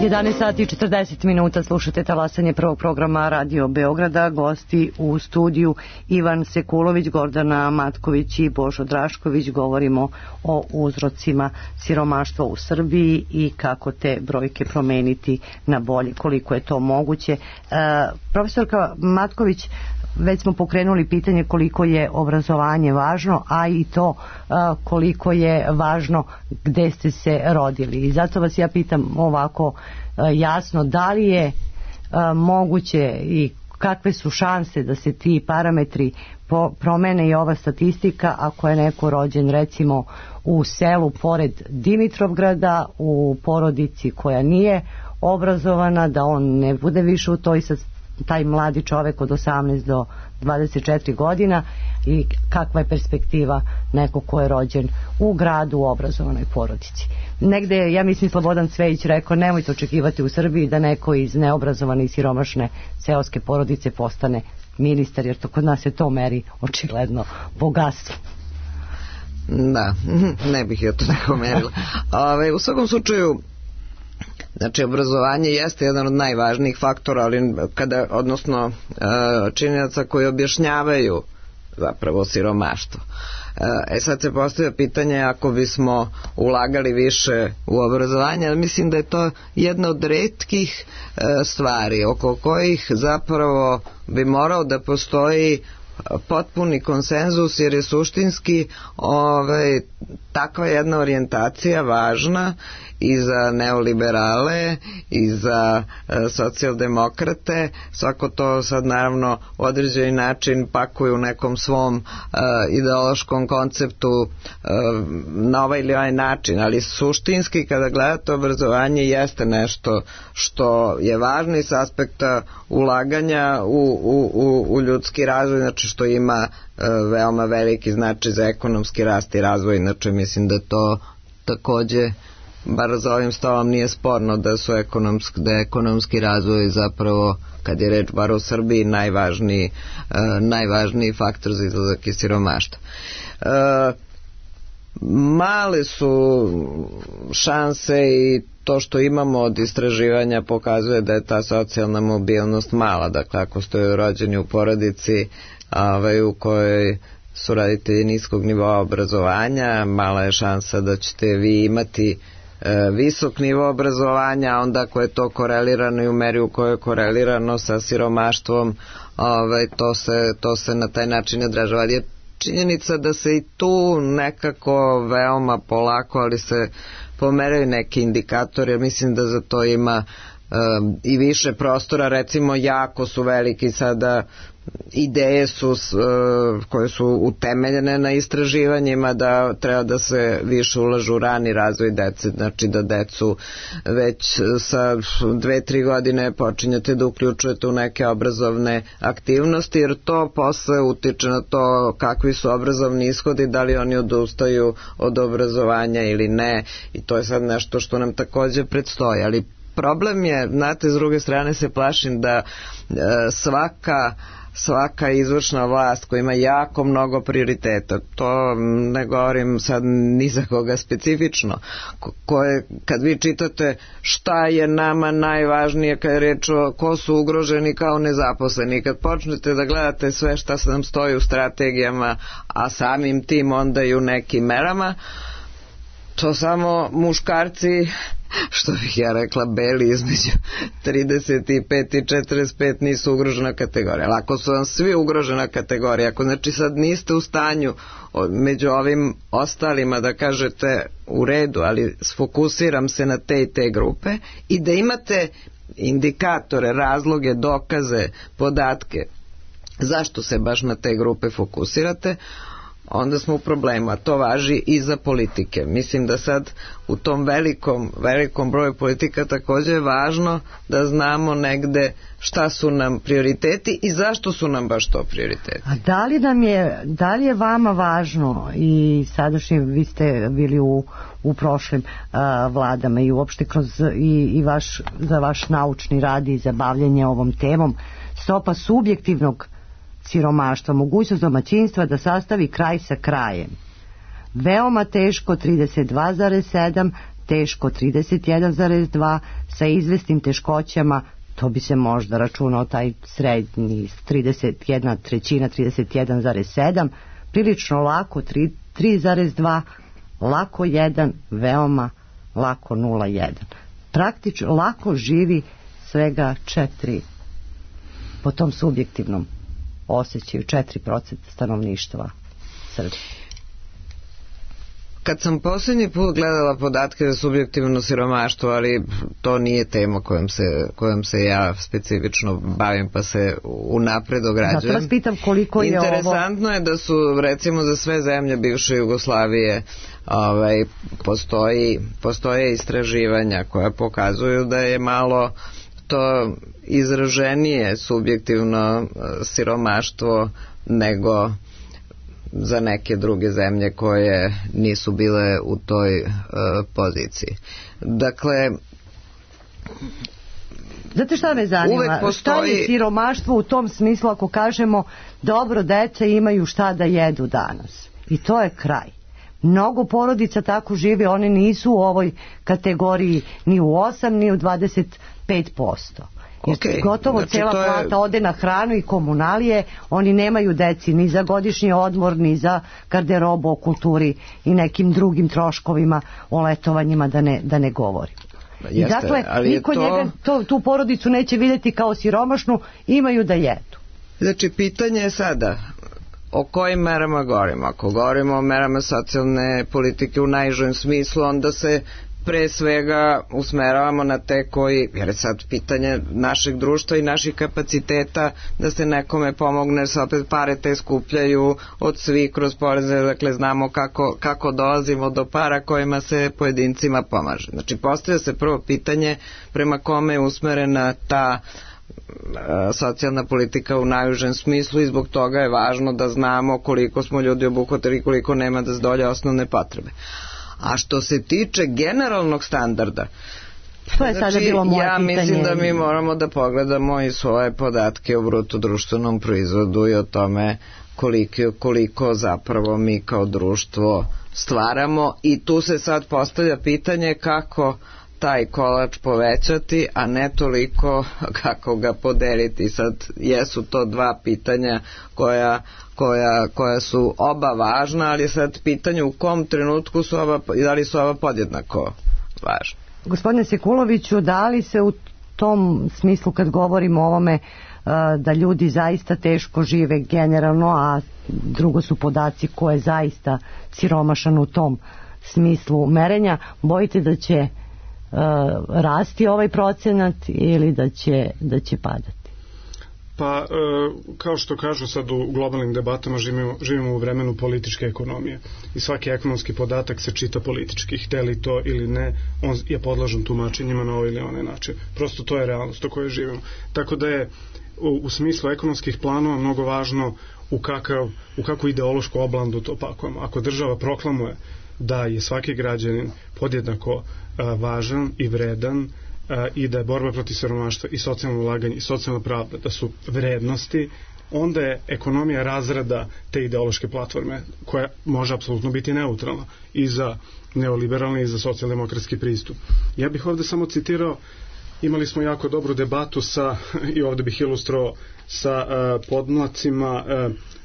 D: 11 sati i 40 minuta slušate talasanje prvog programa Radio Beograda. Gosti u studiju Ivan Sekulović, Gordana Matković i Božo Drašković. Govorimo o uzrocima siromaštva u Srbiji i kako te brojke promeniti na bolje, koliko je to moguće. Profesorka Matković, već smo pokrenuli pitanje koliko je obrazovanje važno, a i to koliko je važno gde ste se rodili. I zato vas ja pitam ovako jasno, da li je moguće i kakve su šanse da se ti parametri promene i ova statistika ako je neko rođen recimo u selu pored Dimitrovgrada, u porodici koja nije obrazovana, da on ne bude više u toj taj mladi čovek od 18 do 24 godina i kakva je perspektiva neko ko je rođen u gradu u obrazovanoj porodici. Negde je, ja mislim, Slobodan Cvejić rekao, nemojte očekivati u Srbiji da neko iz neobrazovane i siromašne seoske porodice postane ministar, jer to kod nas je to meri očigledno bogatstvo.
G: Da, ne bih ja to neko merila. U svakom slučaju, znači, obrazovanje jeste jedan od najvažnijih faktora, ali odnosno činjenica koji objašnjavaju zapravo siromaštvo. Sad se postavlja pitanje, ako bismo ulagali više u obrazovanje, ali mislim da je to jedna od retkih stvari oko kojih zapravo bi morao da postoji potpuni konsenzus, jer je suštinski takva jedna orijentacija važna i za neoliberale i za socijaldemokrate. Svako to sad naravno u određeni način pakuje u nekom svom ideološkom konceptu na ovaj ili ovaj način, ali suštinski kada gledate obrazovanje jeste nešto je važno i s aspekta ulaganja u ljudski razvoj, znači što ima veoma veliki značaj za ekonomski rast i razvoj. Inače mislim da to takođe, bar za ovim stolom nije sporno da je ekonomski razvoj zapravo, kad je reč bar u Srbiji, najvažniji faktor za izlazak iz siromaštva. Male su šanse i to što imamo od istraživanja pokazuje da je ta socijalna mobilnost mala. Dakle, ako ste rođeni u porodici u kojoj su roditelji niskog nivoa obrazovanja, mala je šansa da ćete vi imati visok nivo obrazovanja, onda ako je to korelirano i u meri u kojoj je korelirano sa siromaštvom, to se na taj način odražava. Ali je činjenica da se i tu nekako veoma polako, ali se pomeraju neki indikatori, jer mislim da za to ima i više prostora. Recimo, jako su veliki sada ideje koje su utemeljene na istraživanjima da treba da se više ulažu u rani razvoj dece, znači da decu već sa 2-3 godine počinjete da uključujete u neke obrazovne aktivnosti, jer to posle utiče na to kakvi su obrazovni ishodi, da li oni odustaju od obrazovanja ili ne, i to je sad nešto što nam takođe predstoji. Ali problem je, znate, s druge strane se plašim da svaka izvršna vlast koja ima jako mnogo prioriteta, to ne govorim sad ni za koga specifično, kad vi čitate šta je nama najvažnije kad je reč o ko su ugroženi kao nezaposleni, kad počnete da gledate sve šta nam stoji u strategijama, a samim tim onda i u nekim merama, to samo muškarci, što bih ja rekla, beli između 35 i 45 nisu ugrožena kategorija. Ali ako su vam svi ugrožena kategorija, ako znači sad niste u stanju među ovim ostalima da kažete u redu, ali sfokusiram se na te i te grupe, i da imate indikatore, razloge, dokaze, podatke, zašto se baš na te grupe fokusirate, onda smo u problemu, a to važi i za politike. Mislim da sad u tom velikom broju politika također je važno da znamo negde šta su nam prioriteti i zašto su nam baš to prioriteti.
D: A da li je vama važno, i sadašnji, vi ste bili u prošlim vladama i uopšte kroz za vaš naučni rad i zabavljanje ovom temom, stopa subjektivnog siromaštva, mogućnost domaćinstva da sastavi kraj sa krajem. Veoma teško 32,7, teško 31,2, sa izvesnim teškoćama, to bi se možda računao taj srednji 31 trećina, 31,7, prilično lako 3,2, lako 1, veoma lako 0,1. Praktično lako živi svega 4 po tom subjektivnom osjećaju 4% stanovništva Srbije.
G: Kad sam posljednji put gledala podatke za subjektivno siromaštvo, ali to nije tema kojom se ja specifično bavim, pa se unapred ograđujem.
D: Zato vas pitam koliko je
G: Interesantno je da su, recimo, za sve zemlje bivše Jugoslavije postoje istraživanja koja pokazuju da je malo to izraženije subjektivno siromaštvo nego za neke druge zemlje koje nisu bile u toj poziciji. Dakle,
D: znate šta me zanima? Šta je siromaštvo u tom smislu ako kažemo dobro, deca imaju šta da jedu danas? I to je kraj. Mnogo porodica tako žive, one nisu u ovoj kategoriji ni u 8 ni u 25%. Jer gotovo znači, cijela plata ode na hranu i komunalije, oni nemaju deci ni za godišnji odmor, ni za garderobu, o kulturi i nekim drugim troškovima, o letovanjima da ne govorim. I dakle, niko njega tu porodicu neće vidjeti kao siromašnu, imaju da jedu.
G: Znači, pitanje je sada o kojim merama govorimo. Ako govorimo o merama socijalne politike u najižem smislu, onda se pre svega usmeravamo na te koji, jer je sad pitanje našeg društva i naših kapaciteta da se nekome pomogne, jer se opet pare te skupljaju od svih kroz poreze, dakle znamo kako dolazimo do para kojima se pojedincima pomaže. Znači postavlja se prvo pitanje prema kome je usmerena ta socijalna politika u najužem smislu i zbog toga je važno da znamo koliko smo ljudi obuhvatili, koliko nema da zadovolje osnovne potrebe. A što se tiče generalnog standarda,
D: to je sada bilo moje pitanje.
G: Ja mislim da mi moramo da pogledamo i svoje podatke o bruto društvenom proizvodu i o tome koliko zapravo mi kao društvo stvaramo, i tu se sad postavlja pitanje kako taj kolač povećati, a ne toliko kako ga podeliti. Sad jesu to dva pitanja koja su oba važna, ali je sad pitanje u kom trenutku su da li su oba podjednako važna.
D: Gospodine Sekuloviću, da li se u tom smislu kad govorimo o ovome da ljudi zaista teško žive generalno, a drugo su podaci ko je zaista siromašan u tom smislu merenja, bojite da će rasti ovaj procenat ili da će padati?
H: Pa, kao što kažu sad u globalnim debatama, živimo u vremenu političke ekonomije i svaki ekonomski podatak se čita politički, hteli to ili ne, on je podložen tumačenjima na ovaj ili onaj način. Prosto to je realnost u kojoj živimo. Tako da je u smislu ekonomskih planova mnogo važno u kakvu ideološku oblandu to pakujemo. Ako država proklamuje da je svaki građanin podjednako važan i vredan i da je borba protiv siromaštva i socijalno ulaganje i socijalna pravda da su vrednosti, onda je ekonomija razrada te ideološke platforme koja može apsolutno biti neutralna i za neoliberalni i za socijaldemokratski pristup. Ja bih ovdje samo citirao, imali smo jako dobru debatu i ovdje bih ilustrovao sa podmlacima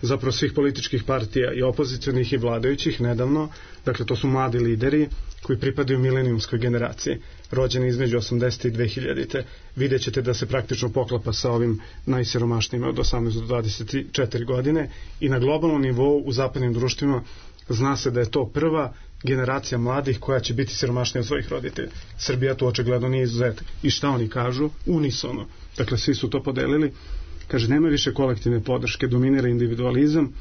H: zapravo svih političkih partija i opozicionih i vladajućih nedavno. Dakle, to su mladi lideri koji pripadaju milenijumskoj generaciji, rođeni između 80. i 2000. Vidjet ćete da se praktično poklapa sa ovim najsiromašnijima od 18 do 24 godine i na globalnom nivou u zapadnim društvima zna se da je to prva generacija mladih koja će biti siromašnija od svojih roditelja. Srbija tu očigledno nije izuzetak. I šta oni kažu? Unisono. Dakle, svi su to podelili. Kaže, nema više kolektivne podrške, dominira individualizam,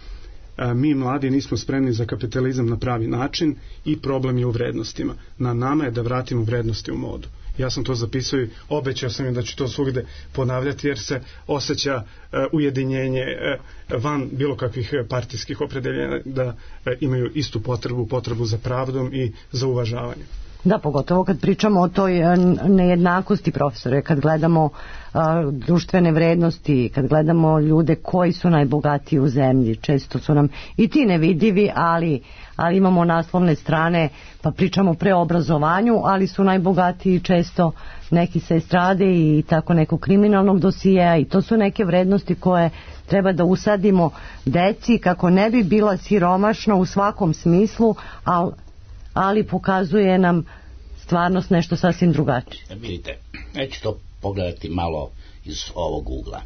H: mi mladi nismo spremni za kapitalizam na pravi način i problem je u vrednostima. Na nama je da vratimo vrednosti u modu. Ja sam to zapisao i obećao sam im da ću to svugde ponavljati, jer se osjeća ujedinjenje van bilo kakvih partijskih opredeljenja, da imaju istu potrebu za pravdom i za uvažavanje.
D: Da, pogotovo kad pričamo o toj nejednakosti, profesore, kad gledamo društvene vrednosti, kad gledamo ljude koji su najbogatiji u zemlji, često su nam i ti nevidivi, ali imamo naslovne strane, pa pričamo pre obrazovanju, ali su najbogatiji često neki sa estrade i tako nekog kriminalnog dosijeja, i to su neke vrednosti koje treba da usadimo deci kako ne bi bila siromašna u svakom smislu, ali pokazuje nam stvarnost nešto sasvim drugačije.
I: Vidite, ja ću to pogledati malo iz ovog ugla.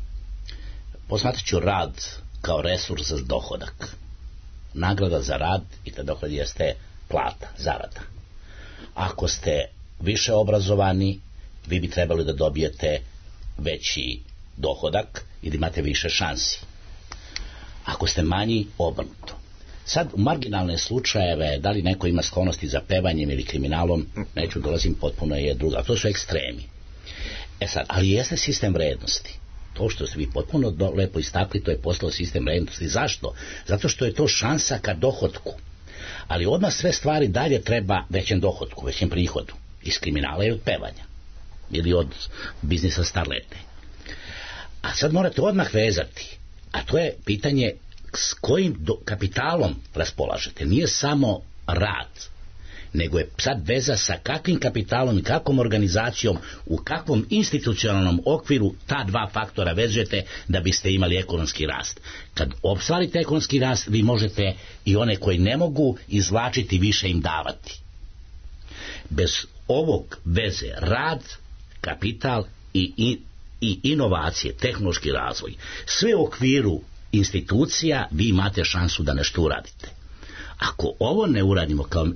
I: Posmatrat ću rad kao resurs za dohodak. Nagrada za rad i ta dohodak jeste plata, zarada. Ako ste više obrazovani, vi bi trebali da dobijete veći dohodak i da imate više šansi. Ako ste manji, obrnuto. Sad, u marginalne slučajeve, da li neko ima sklonosti za pevanjem ili kriminalom, neću dolazim, potpuno je druga. A to su ekstremi. Sad, ali jeste sistem vrednosti. To što ste vi potpuno lepo istakli, to je postalo sistem vrednosti. Zašto? Zato što je to šansa ka dohotku. Ali odmah sve stvari dalje treba većem dohotku, većem prihodu. Iz kriminala i od pevanja. Ili od biznisa starlete. A sad morate odmah vezati. A to je pitanje s kojim kapitalom raspolažete. Nije samo rad, nego je sad veza sa kakvim kapitalom i kakvom organizacijom, u kakvom institucionalnom okviru ta dva faktora vezujete da biste imali ekonomski rast. Kad ostvarite ekonomski rast, vi možete i one koji ne mogu izvlačiti, više im davati. Bez ovog veze rad, kapital i inovacije, tehnološki razvoj, sve u okviru institucija, vi imate šansu da nešto uradite. Ako ovo ne uradimo kao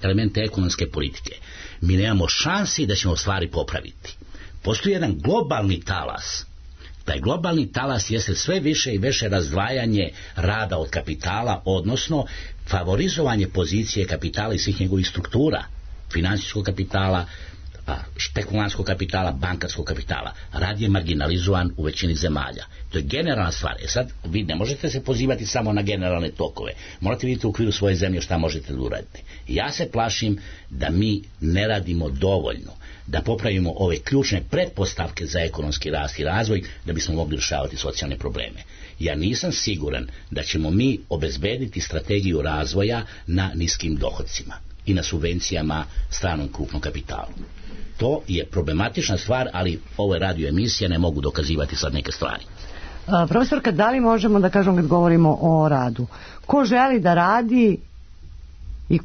I: elemente ekonomske politike, mi nemamo šansi da ćemo stvari popraviti. Postoji jedan globalni talas. Taj globalni talas jeste sve više i više razdvajanje rada od kapitala, odnosno favorizovanje pozicije kapitala i svih njegovih struktura, finansijskog kapitala, špekulantskog kapitala, bankarskog kapitala. Rad je marginalizovan u većini zemalja. To je generalna stvar. Sad, vi ne možete se pozivati samo na generalne tokove. Morate vidjeti u okviru svoje zemlje šta možete da uradite. Ja se plašim da mi ne radimo dovoljno da popravimo ove ključne pretpostavke za ekonomski rast i razvoj da bismo mogli rješavati socijalne probleme. Ja nisam siguran da ćemo mi obezbediti strategiju razvoja na niskim dohodcima i na subvencijama stranom krupnom kapitalu. To je problematična stvar, ali ovo je radio emisija, ne mogu dokazivati sad neke stvari.
D: Profesorka, da li možemo da kažemo kad govorimo o radu? Ko želi da radi i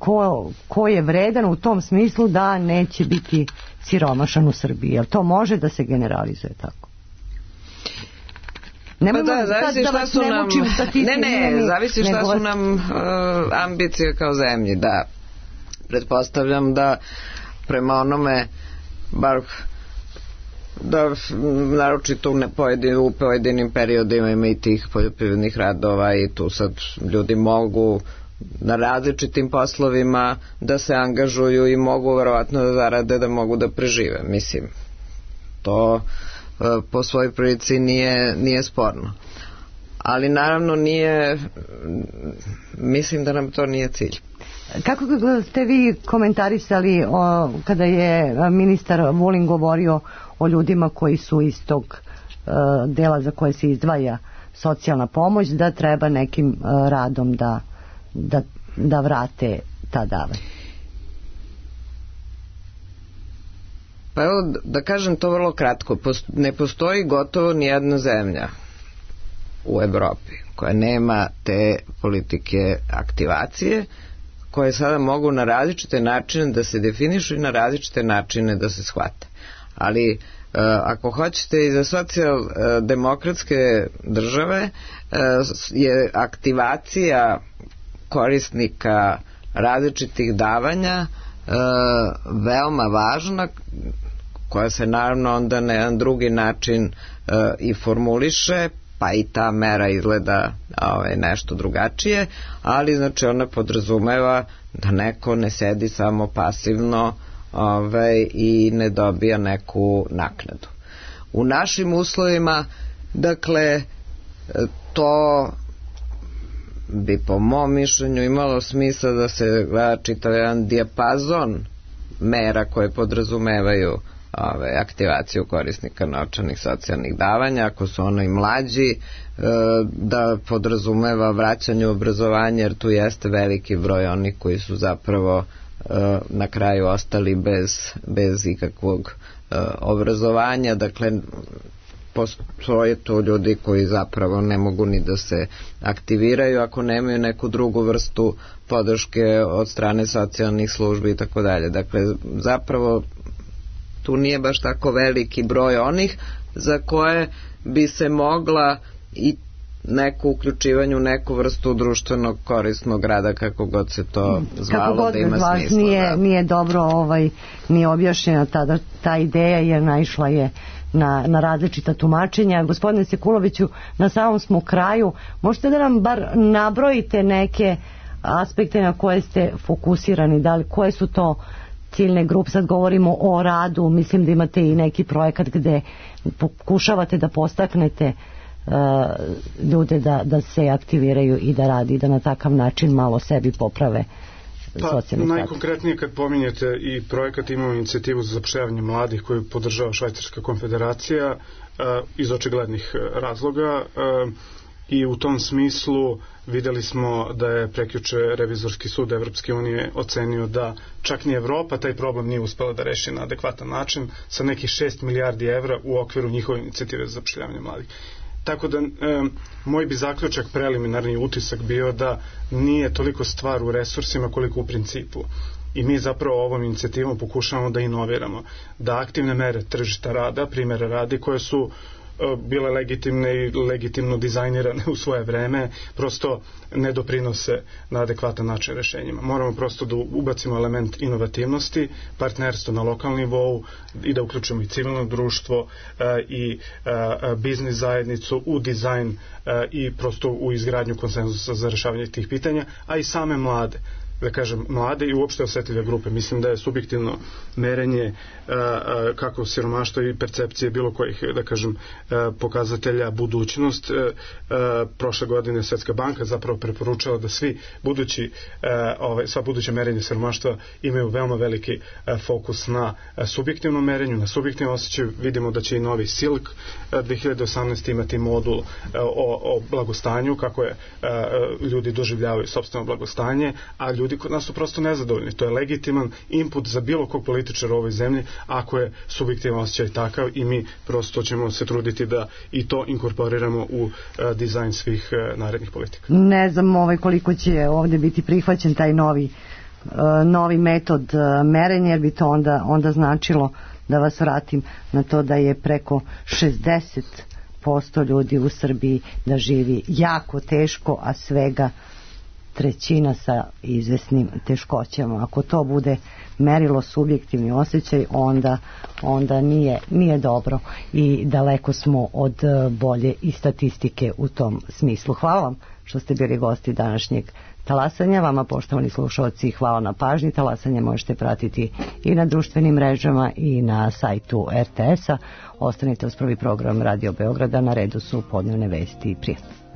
D: ko je vredan u tom smislu da neće biti siromašan u Srbiji? Jel to može da se generalizuje tako?
G: Zavisi šta su nam zavisi šta su nam ambicije kao zemlji. Da, pretpostavljam da prema onome, bar da naročito u pojedinim periodima ima i tih poljoprivrednih radova i tu sad ljudi mogu na različitim poslovima da se angažuju i mogu verovatno da zarade, da mogu da prežive. Mislim, to po svojoj prilici nije sporno. Ali naravno mislim da nam to nije cilj.
D: Kako ste vi komentarisali kada je ministar Vulin govorio o ljudima koji su iz tog dela za koje se izdvaja socijalna pomoć, da treba nekim radom da vrate ta davanja?
G: Pa evo da kažem to vrlo kratko. Ne postoji gotovo nijedna zemlja u Evropi koja nema te politike aktivacije, koje sada mogu na različite načine da se definišu i na različite načine da se shvate. Ali ako hoćete i za socijaldemokratske države je aktivacija korisnika različitih davanja veoma važna, koja se naravno onda na jedan drugi način i formuliše, pa i ta mera izgleda nešto drugačije, ali znači ona podrazumeva da neko ne sedi samo pasivno i ne dobija neku naknadu. U našim uslovima, dakle, to bi po mom mišljenju imalo smisla da se gleda čitav jedan dijapazon mera koje podrazumevaju aktivaciju korisnika novčanih socijalnih davanja, ako su ono i mlađi, da podrazumeva vraćanje u obrazovanje, jer tu jeste veliki broj onih koji su zapravo na kraju ostali bez ikakvog obrazovanja. Dakle, postoje tu ljudi koji zapravo ne mogu ni da se aktiviraju ako nemaju neku drugu vrstu podrške od strane socijalnih službi i tako dalje. Dakle, zapravo tu nije baš tako veliki broj onih za koje bi se mogla i neko uključivanje u neku vrstu društvenog korisnog rada, kako god se to zvalo, da ima smisla.
D: Nije dobro nije objašnjena ta ideja, jer naišla je na različita tumačenja. Gospodine Sekuloviću, na samom smo kraju, možete da nam bar nabrojite neke aspekte na koje ste fokusirani, da li, koje su to ciljne grupe? Sad govorimo o radu, mislim da imate i neki projekat gde pokušavate da postaknete ljude da se aktiviraju i da radi, da na takav način malo sebi poprave socijalni status.
H: Najkonkretnije kad pominjete i projekat, imamo inicijativu za zapošljavanje mladih koju podržava Švajcarska konfederacija iz očiglednih razloga, i u tom smislu videli smo da je prekjuče Revizorski sud Evropske unije ocenio da čak ni Evropa taj problem nije uspela da reši na adekvatan način sa nekih 6 milijardi evra u okviru njihove inicijative za zapošljavanje mladih. Tako da moj bi zaključak, preliminarni utisak bio da nije toliko stvar u resursima koliko u principu. I mi zapravo ovom inicijativom pokušavamo da inoviramo, da aktivne mere tržišta rada, primjera radi koje su bile legitimne i legitimno dizajnirane u svoje vreme, prosto ne doprinose na adekvatan način rešenjima. Moramo prosto da ubacimo element inovativnosti, partnerstvo na lokalnom nivou i da uključimo i civilno društvo i biznis zajednicu u dizajn i prosto u izgradnju konsenzusa za rešavanje tih pitanja, a i same mlade. Da kažem, mlade i uopšte osetljive grupe. Mislim da je subjektivno merenje kako siromaštva i percepcije bilo kojih, da kažem, pokazatelja budućnost. Prošle godine Svetska banka zapravo preporučala da sva buduća merenja siromaštva imaju veoma veliki fokus na subjektivnom merenju, na subjektivnom osjećaju. Vidimo da će i novi SILK 2018 imati modul o blagostanju, kako je ljudi doživljavaju sopstveno blagostanje, a ljudi kod nas su prosto nezadovoljni. To je legitiman input za bilo kog političara u ovoj zemlji, ako je subjektivan osjećaj takav, i mi prosto ćemo se truditi da i to inkorporiramo u dizajn svih narednih politika.
D: Ne znam koliko će ovdje biti prihvaćen taj novi metod merenja, jer bi to onda značilo, da vas vratim na to, da je preko 60% ljudi u Srbiji da živi jako teško, a svega trećina sa izvesnim teškoćama. Ako to bude merilo subjektivni osjećaj, onda nije dobro i daleko smo od bolje i statistike u tom smislu. Hvala vam što ste bili gosti današnjeg talasanja. Vama, poštovani slušalci, hvala na pažnji. Talasanje možete pratiti i na društvenim mrežama i na sajtu RTS-a. Ostanite uz prvi program Radio Beograda, na redu su podnevne vesti. Prijatno.